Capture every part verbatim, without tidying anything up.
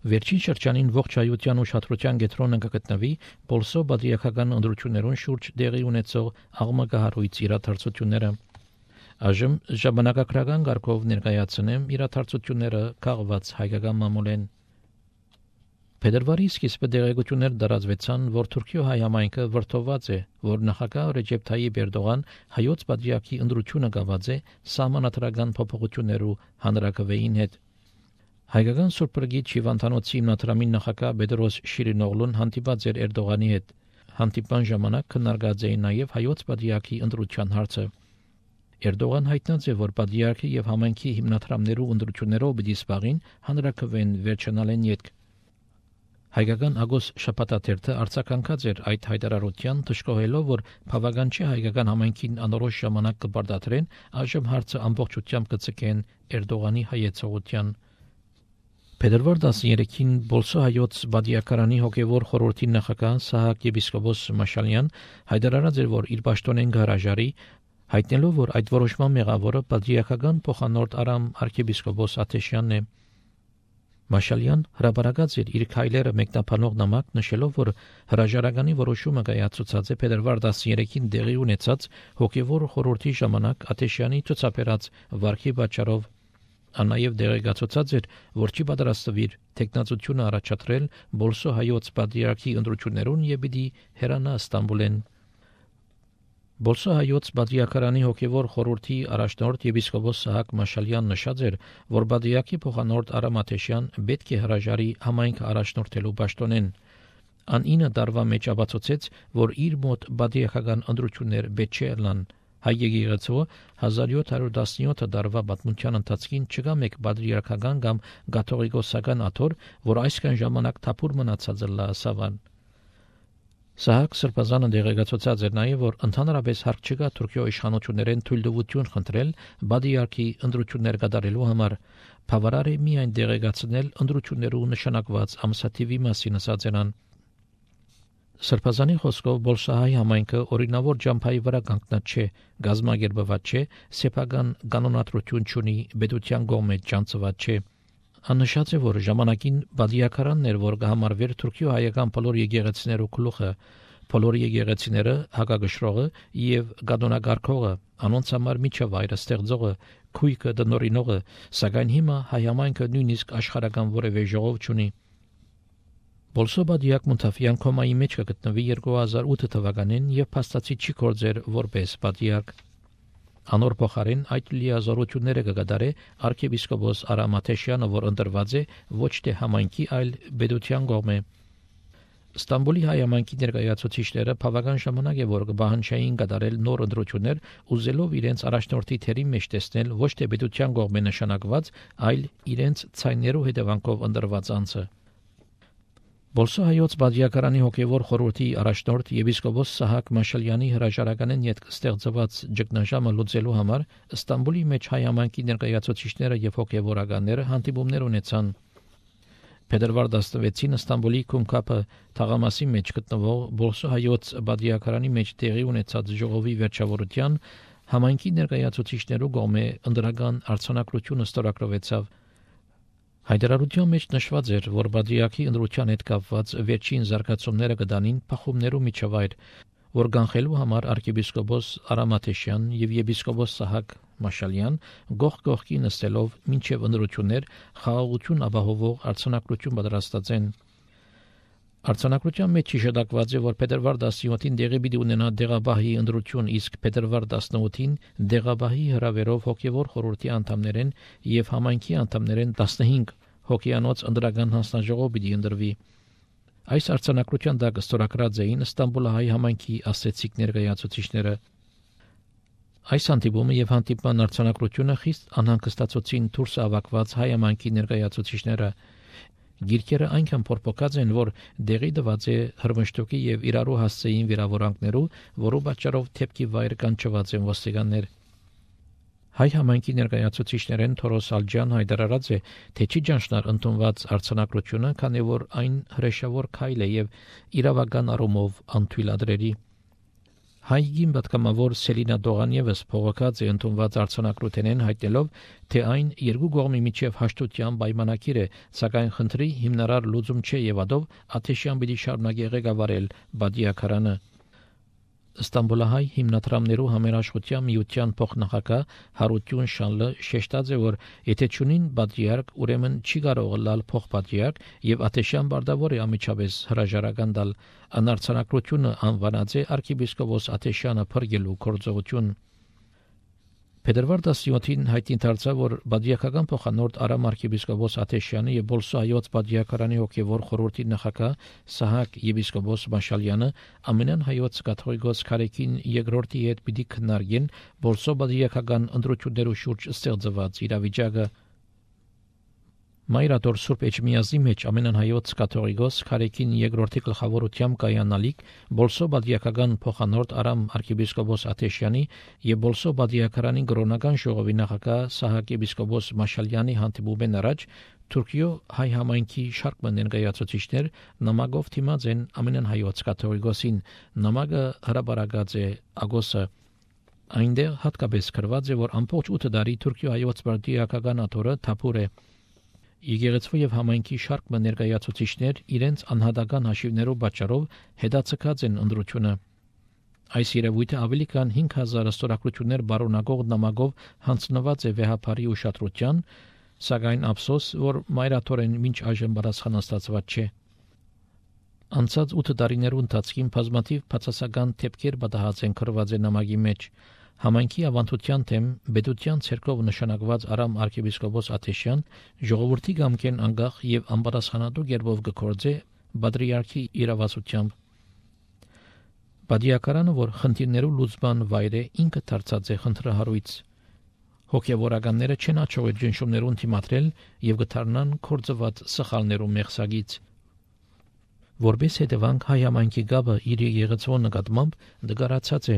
Վերջին շրջանին ողջ հայության ուշադրության կենտրոնում կգտնվի Բոլսո բادرիակական ընտրություններուն շուրջ տեղի ունեցող աղմկահարույց իրադարձությունները։ Այժմ ժամանակակրական կարգով ներկայացնեմ իրադարձությունները քաղված հայկական մամուլեն։ Փետրվարի սկիզբը տեղեկություններ տարածվեցան, որ Թուրքիո հայ համայնքը վրդովված է, որ նախագահ Ռեջեփ Թայիփ Էրդողան հայոց բادرիակի ընտրությունը գաված է սահմանադրական փոփոխություններու հանրակրվեին հետ։ Հայկական Սուրբ Գրիգի Հիվանդանոցի հիմնադրամի նախագահ Բեդրոս Շիրինօղլուն հանդիպած էր Էրդողանի հետ։ Հանդիպան ժամանակ քննարկած էին նաև հայոց բادرիակի ընտրության հարցը։ Էրդողան հայտնած է, որ բادرիակի եւ համայնքի հիմնադրամներու ընտրություններով պիտի սպաղին հանրակրվեն վերջանալեն յետք։ Հայկական Ագոս շաբաթաթերթը արձագանքած էր այդ հայտարարության, դժգոհելով, որ բավական չէ հայկական համայնքին անորոշ ժամանակ կբարդատրեն, այժմ հարցը ամբողջությամբ կցկեն Էրդողանի հայեցողության։ Փետրվար տասներեքին Բոլսո հայոց բادرիակարանի հոգևոր խորհրդի նախագահ Սահակ եպիսկոպոս Մաշալյան հայտարարած էր, որ իր պաշտոնեն գարաժարի, հայտնելով, որ այդ որոշման մեղավորը բادرիակական փոխանորդ Արամ arczepiskopos Աթեշյանն է։ Մաշալյան հրապարակած էր իր քայլերը մեկնաբանող նամակ, նշելով, որ հրաժարականի որոշումը կայացուցած է փետրվար տասներեքին տեղի ունեցած հոգևոր խորհրդի ժամանակ Աթեշյանի ցուցաբերած վարքի պատճառով։ Ան նաև դեղեկացուցած էր, որ չի պատրաստվիր տեխնացությունը առաջադրել Բոլսո հայոց բادرիակի ընտրություններուն եւ պիտի հեռանա Ստամբուլեն։ Բոլսո հայոց բادرիակարանի հոգևոր խորհրդի առաջնորդ եպիսկոպոս Սահակ Մաշալյան նշած էր, որ բادرիակի փոխանորդ Արամ Աթեշյան պետք է հրաժարի համայնքը առաջնորդելու պաշտոնեն։ Ան ինը տարվա մեջ ապացուցեց, որ իր մոտ բادرիակական ընտրություններ պետք չէ լան։ Հայ եկեղեցու հազար յոթ հարյուր տասնյոթ տարվա պատմության ընթացքին չկա մեկ բادرիակական կամ կաթողիկոսական աթոռ, որ այսքան ժամանակ թափուր մնացած լա սավան։ Սահակ Սրբազանը դեղեկացուցած էր նաև, որ ընդհանրապես հարկ չկա Թուրքիո իշխանություններեն թույլտվություն խնդրել բادرիակի ընտրություններ կատարելու համար։ Բավարար է միայն դեղեկացնել ընտրություններու նշանակված ամսաթիվի մասին ասած են։ Սրբազանի խոսքով Բոլսահայ համայնքը օրինավոր ջամփայի վրա կանգնած չէ, գազագերբված չէ, սեփական կանոնադրություն չունի, պետության կողմից ճանցված չէ։ Աննշած է, որ ժամանակին բادرիակարանն էր, որ կհամարվեր Թուրքիո հայական բոլոր եկեղեցիներու գլուխը, բոլոր եկեղեցիները հակագշրողը եւ կանոնակարգողը, անոնց համար միջավայրը ստեղծողը, քույկը դնորինողը, սակայն հիմա հայ համայնքը նույնիսկ աշխարհական որևէ ժողով չունի։ Բոլսո բادرիակ Մունթաֆյան կոմայի մեջ կգտնվի երկու հազար ութ թվականին եւ փաստացի չի կործեր որպես բادرիակ։ Անոր փոխարեն այդ լիազորությունները կգադարե arczepiskopos Արամ Աթեշյանը, որ ընտրված է ոչ թե համայնքի, այլ պետության կողմէ։ Ստամբուլի հայ համայնքի ներկայացուցիչները բավական ժամանակ է, որ կբահանջային կատարել նոր ընտրություններ, ուզելով իրենց առաջնորդի թերի մեջ տեսնել ոչ թե պետության կողմէ նշանակված, այլ իրենց ցայներու հետևանքով ընտրված անձը։ Բոլսո հայոց բادرիակարանի հոգևոր խորհրդի առաջնորդ եպիսկոպոս Սահակ Մաշալյանի հրաժարականեն յետք ստեղծված ճգնաժամը լուծելու համար Ստամբուլի մեջ հայ համայնքի ներկայացուցիչները եւ հոգևորականները հանդիպումներ ունեցան։ Փետրվար տասնվեցին Ստամբուլի Քումքապը թաղամասի մեջ գտնվող Բոլսո հայոց բادرիակարանի մեջ տեղի ունեցած ժողովի վերջավորության համայնքի ներկայացուցիչներու կողմէ ընդրական արձանագրությունը ստորագրվեցավ։ Հայտարարության մեջ նշված էր, որ բادرիակի ընտրության հետ կապված վերջին զարգացումները կդանին փախումներու միջավայր, որ կանխելու համար arczepiskopos Արամ Աթեշյան եւ եպիսկոպոս Սահակ Մաշալյան գող գողքի նստելով մինչև ընտրություններ խաղաղություն ապահովող արձանագրություն պատրաստած են։ Արձանագրության մեջ շեշտակված է, որ փետրվար տասնյոթին դեղի պիտի ունենա դեղաբահի ընտրություն, իսկ փետրվար տասնութին դեղաբահի հրավերով հոգևոր խորհրդի անդամներեն եւ համայնքի անդամներեն տասնհինգ հոգեանոց ընդրական հանձնաժողով պիտի ընտրվի։ Այս արձանագրության տակ ստորագրած էին Ստամբուլահայ համայնքի ասեցիկ ներկայացուցիչները։ Այս հանդիպումը եւ հանդիպման արձանագրությունը խիստ անհանգստացուցին դուրս ավակված հայ համայնքի ներկայացուցիչները։ Գիրքերը այնքան փորփոքած են, որ դեղի դված է հրմշտոկի եւ իրարու հասցեին վիրավորանքներու, որու պատճառով թեփքի վայր կանչված են ոստիկաններ։ Հայ համայնքի ներկայացուցիչներեն Թորոս Ալջյան հայտարարած է, թե չի ճանչնար ընդունված արձանագրությունը, քանի որ այն հրեշավոր քայլ է եւ իրավական առումով անթույլատրելի։ Հայգին պատգամավոր Սելինա Դողան ևս փողոքած է ընդունված արձանագրութենեն հայտնելով, թե այն երկու կողմի միջև հաշտության պայմանագիր է, սակայն խնդրի հիմնարար լուծում չէ եւ ադով Աթեշյան պիտի շարունակի ղեկավարել Բադիաքարանը։ Ստամբուլահայ հիմնադրամներու համերաշխության միության փոխնախագահ Հարություն Շանլը շեշտած է, որ եթե ճունին բادرիարք, ուրեմն չի կարող լալ փոխբادرիարք եւ Աթեշյան բardավոր է ամիջապես հրաժարական տալ, անարցանակությունը անվանած է arczepiskopos Աթեշյանը փրկելու գործողություն։ Փետրվար տասնյոթին հայտնի դարձավ, որ բادرիական փոխանորդ Արամ arczepiskopos Աթեշյանը եւ Բոլսո հայոց բادرիակարանի հոգեվոր խորհրդի նախագահ Սահակ եպիսկոպոս Մաշալյանը ամենան հայոց կաթողիկոս Քարեկին երկրորդի հետ պիտի քննարկեն Բոլսո բادرիական ընդրություններու շուրջ ստեղծված իրավիճակը։ Մայրաթոր Սուրբ Էջմիածնի մեջ ամենան հայոց կաթողիկոս Քարեկին երկրորդի գլխավորությամբ կայանալիք Բոլսո բادرիական փոխանորդ Արամ arczepiskopos Աթեշյանի եւ Բոլսո բادرիակարանի կրոնական ժողովի նախագահ Սահակ եպիսկոպոս Մաշալյանի հանդիպումեն առաջ Թուրքիո հայ համայնքի շարք ներկայացուցիչներ նամակով թիմած են ամենան հայոց կաթողիկոսին։ Նամակը հրապարակած է Ագոսը։ Այնտեղ հատկապես գրված է, որ ամբողջ ութ տարի Թուրքիո հայոց բادرիական աթորը թափուր է։ Եկեղեցու եւ համայնքի շարք ներկայացուցիչներ իրենց անհատական հաշիվներով պատճառով հետաձգած են ընդրությունը։ Այս երևույթը ավելի քան հինգ հազար ստորագրություններ բարունակող նամակով հանձնված է վեհապարի ուշադրության, սակայն ափսոս, որ մայրաթորեն մինչ այժմ պատասխան ստացված չէ։ Անցած ութ տարիներու ընթացքին բազմաթիվ բացասական թեփքեր պատահած են գրված է նամակի մեջ։ Համայնքի ավանդության թեմ Բեդության ցերկով նշանակված Արամ arczepiskopos Աթեշյան ժողովրդի գամքեն անգախ եւ անպատասխանատու կերպով գործե բادرիարքի իրավասությամբ։ Բادرիակարանը, որ խնդիրներու լուծման վայր է, ինքը դարձած է խնդրահարույց։ Հոգեվորականները չեն աչողել ջնշումներուն թիմադրել եւ գտարնան կորձված սխալներու մեղսագից։ Որպես հետևանք հայ համայնքի գաբը իր եկեղեցու նկատմամբ դգարացած է։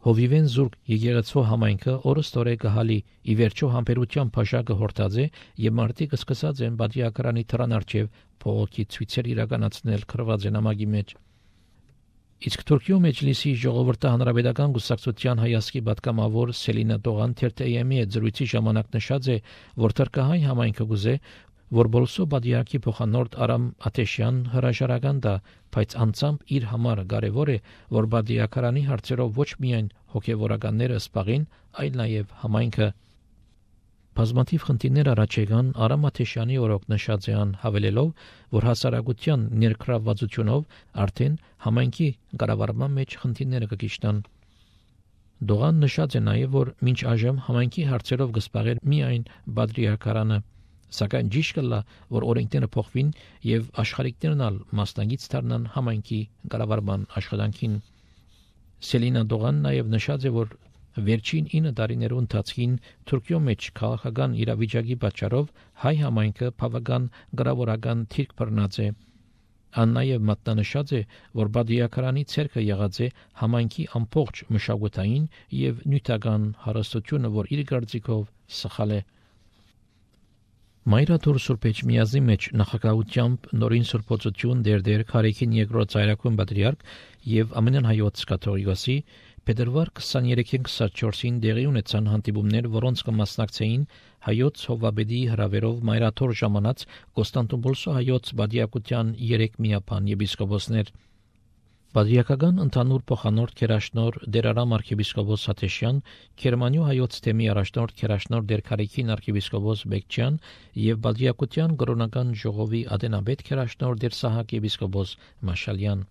Հովիվեն զուրկ եկեղեցու համայնքը օրստորե կհալի ի վերջո համբերության փաշակը հորտած է եւ մարդիկ սկսած են բادرիակարանի թրան արչեւ փողոքի ցույցեր իրականացնել գրված է նամակի մեջ։ Իսկ Թուրքիո մեջլիսի ժողովրդի հանրապետական գուսակցության հայասկի պատգամավոր Սելինա Դողան թերթեյեմի հետ զրույցի ժամանակ նշած է, որ թրքահայ համայնքը գուզե, որ Բոլսո բادرիակի փոխանորդ Արամ Աթեշյան հրաժարական տա, բայց անցամբ իր համար կարևոր է, որ բادرիակարանի հարցերով ոչ միայն հոգեվորականները սպաղին, այլ նաև համայնքը։ Բազմաթիվ խնդիրներ առաջ եկան Արամ Աթեշյանի օրոք նշած են հավելելով, որ հասարակության ներգրավվածությունով արդեն համայնքի կառավարման մեջ խնդիրները կգիշտան։ Դողան նշած է նաև, որ մինչ այժմ համայնքի հարցերով կսպաղեր միայն բادرիակարանը, սակայն ճիշտ կլա, որ օրենքները փոխվին եւ աշխարհիկներն ալ մասնագիտ դառնան համայնքի կառավարման աշխատանքին։ Սելինա Դողան նաև նշած է, որ վերջին ինը տարիներու ընթացքին Թուրքիո մեջ քաղաքական իրավիճակի պատճառով հայ համայնքը բավական գրավորական թիրք բռնած է։ Ան նաև մատնանշած է, որ բادرիակարանի ցերկը եղած է համայնքի ամբողջ մշակութային եւ նյութական հարստությունը, որ իր գործիքով սխալ է։ Մայրաթոր Սուրբ Էջմիածնի մեջ նախագահությամբ նորին սուրբոցություն դերդեր Քարեկին երկրորդ ծայրակուն բادرիարք եւ ամենան հայոց կաթողիկոսի փետրվար քսաներեքին քսանչորսին դեղի ունեցան հանդիպումներ, որոնց կմասնակցեին հայոց հովաբեդի հրավերով մայրաթոր ժամանած Կոստանդնուպոլսո հայոց բادرիակության երեք միապան եպիսկոպոսներ։ Բادرիակական ընդհանուր փոխանորդ Քերաշնոր Դերարամ arczepiskopos Աթեշյան, Գերմանիո հայոց թեմի առաջնորդ Քերաշնոր Դերքարեկին arczepiskopos Բեկչյան եւ բادرիակության կրոնական ժողովի ադենաբեդ Քերաշնոր Դերսահակ եպիսկոպոս Մաշալյան։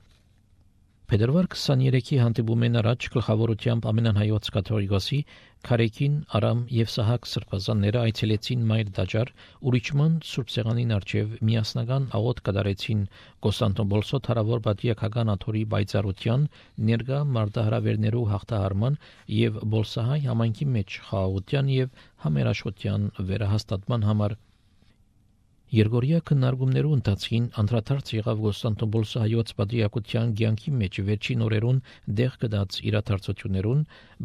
Փետրվար քսաներեքի հանդիպումեն առաջ գլխավորությամբ ամենան հայոց կաթողիկոսի Քարեկին, Արամ եւ Սահակ սրբազանները այցելեցին Մայր Դաջար, ուրիչման Սուրբ Սեղանին առջև միասնական աղոթ կատարեցին Կոստանդնուպոլսո թարավոր բادرիակական աթորի բայցարության, ներկա մարտահրավերներու հաղթահարման եւ Բոլսահայ համայնքի մեջ խաղաղության եւ համերաշխության վերահաստատման համար։ Երգորիա քննարկումներու ընթացքին անդրադարձ եղավ Կոստանդնուպոլսո հայոց բادرիակության ցանկի մեջ վերջին օրերուն դեղ կդած իրադարձություններուն,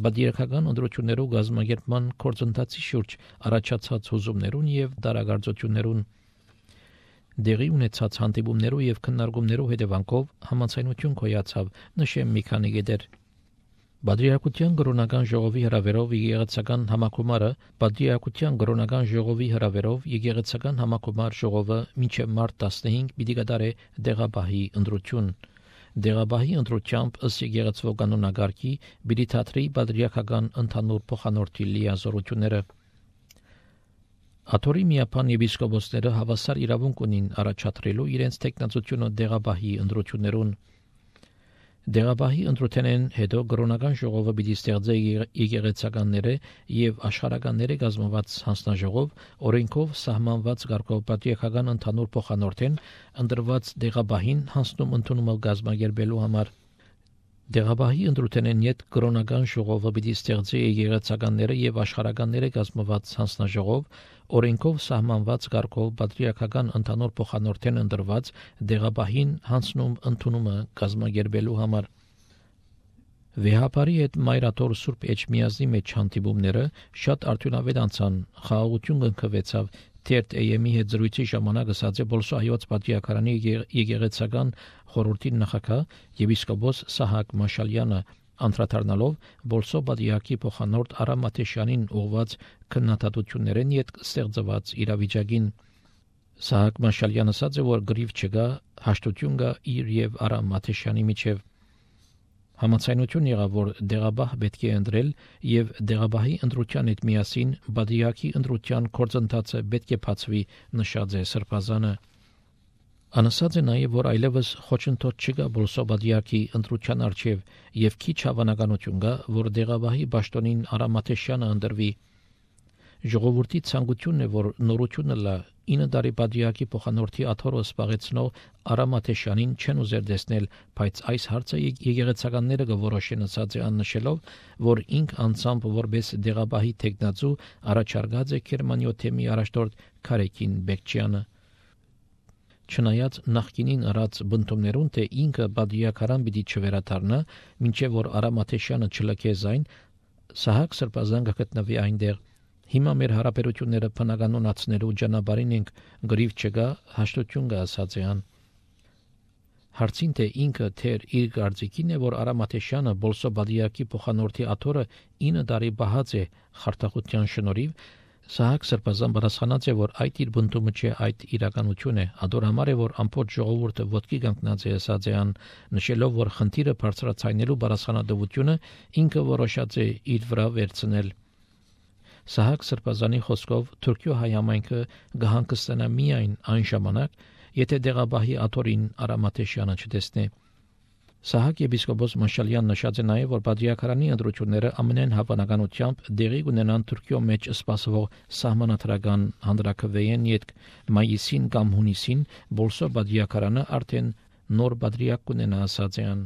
բادرիակական ընդրություններու գազམ་ագերման կորձընթացի շուրջ առաջացած հուզումներուն եւ դարագարձություններուն։ Դեղի ունեցած հանդիպումներու եւ քննարկումներու հետևանքով համաձայնություն կոյացավ, նշեմ մի քանի գետեր։ Բադրիակության կրոնական ժողովի հրավերով եկեղեցական համակումարը Բադրիակության կրոնական ժողովի հրավերով եկեղեցական համակումար ժողովը մինչև մարտ տասնհինգ պիտի կատարե դեղաբահի ընտրություն։ Դեղաբահի ընտրությամբ ըստ եկեղեցվո կանոնագարքի պիտի թատրի բադրիակական ընդհանուր փոխանորդի լիազորությունները։ Աթորի միապան եպիսկոպոսները հավասար իրավունք ունին առաջադրելու իրենց տեխնացությունը դեղաբահի ընտրություններուն։ Դեղաբահի ընտրութենեն հետո կրոնական ժողովը պիտի ստեղծե եկեղեցականները եւ աշխարհականները կազմված հանձնաժողով օրենքով սահմանված կարգով պատիեքական ընդհանուր փոխանորդեն ընտրված դեղաբահին հանձնում ընդունումը կազմակերպելու համար։ Դեղաբահի ընտրութենեն յետ կրոնական ժողովը պիտի ստեղծե եկեղեցականները եւ աշխարհականները կազմված հանձնաժողով օրենքով սահմանված կարգով պատրիարքական ընդհանուր փոխանորդեն ընտրված դեղաբահին հանձնում ընդունումը կազմակերպելու համար։ Վեհապարի հետ Մայրաթոր Սուրբ Էջմիածնի մեջ հանդիպումները շատ արդյունավետ անցան, խաղաղություն կնքվեցավ։ Թերթ Էյեմի հետ զրույցի ժամանակ ասաց է Բոլսո հայոց պատիակարանի եկեղեցական խորհրդի նախագահ եպիսկոպոս Սահակ Մաշալյանը անդրադառնալով Բոլսո պատիակի փոխանորդ Արամ Մաթեշյանին ուղված քննադատություններին յետ ստեղծված իրավիճակին։ Սահակ Մաշալյանը ասաց է որ գրիվ չկա, հաշտություն կա իր եւ Արամ Մաթեշյանի միջև։ Համաձայնություն եղավ, որ դեղաբահ պետք է ընտրել եւ դեղաբահի ընտրության հետ միասին բադիակի ընտրության կորձընթացը պետք է բացվի, նշած է Սրբազանը։ Անասած է նաեւ, որ այլևս խոչընդոտ չկա Բոլսո բադիակի ընտրության արչեւ եւ քիչ հավանականություն կա, որ դեղաբահի պաշտոնին Արամ Մաթեշյանը ընտրվի։ Ժողովրդի ցանկությունն է, որ նորությունը լա ինը տարի բադիակի փոխանորդի աթոռը սպաղեցնող Արամ Մաթեշյանին չեն ուզեր տեսնել, բայց այս հարցը եկեղեցականները կորոշեն, ասած է աննշելով, որ ինք անցամբ որպես դեղաբահի տեխնացու առաջարկած է Գերմանիոթեմի առաջնորդ Քարեկին Բեկչյանը։ Չնայած նախկինին արած բնդումներուն, թե ինքը բադիակարան պիտի չվերադառնա, մինչև որ Արամ Մաթեշյանը չլքե զայն, Սահակ Սրբազան կգտնվի այնտեղ։ Հիմա մեր հարաբերությունները բնականոնացնելու ճանապարհին ենք, գրիվ չկա, հաշտություն կա, ասած է ան։ Հարցին թե ինքը թեր իր կարծիքին է, որ Արամ Մաթեշյանը Բոլսո բադիակի փոխանորդի աթոռը ինը տարի բահած է խարտախության շնորհիվ, Սահակ Սրբազան պատասխանած է, որ այդ իր բնդումը չէ, այդ իրականություն է, ադոր համար է, որ ամբողջ ժողովուրդը ոտքի կանգնած է, ասած է ան, նշելով, որ խնդիրը բարձրացնելու պատասխանատվությունը ինքը որոշած է իր վրա վերցնել։ Սահակ Սրբազանի խոսքով Թուրքիո հայ համայնքը կհանգստանա միայն այն ժամանակ, եթե դեղաբահի աթոռին Արամ Մաթեշյանը չտեսնի։ Սահակ եպիսկոպոս Մաշալյանն նշած է նաև, որ բադրիակարանի ընտրությունները ամենայն հավանականությամբ դեղի կունենան Թուրքիո մեջ սպասվող սահմանադրական հանրաքվեին յետք մայիսին կամ հունիսին Բոլսո բադրիակարանը արդեն նոր բադրիակ կունենա, ասած է ան։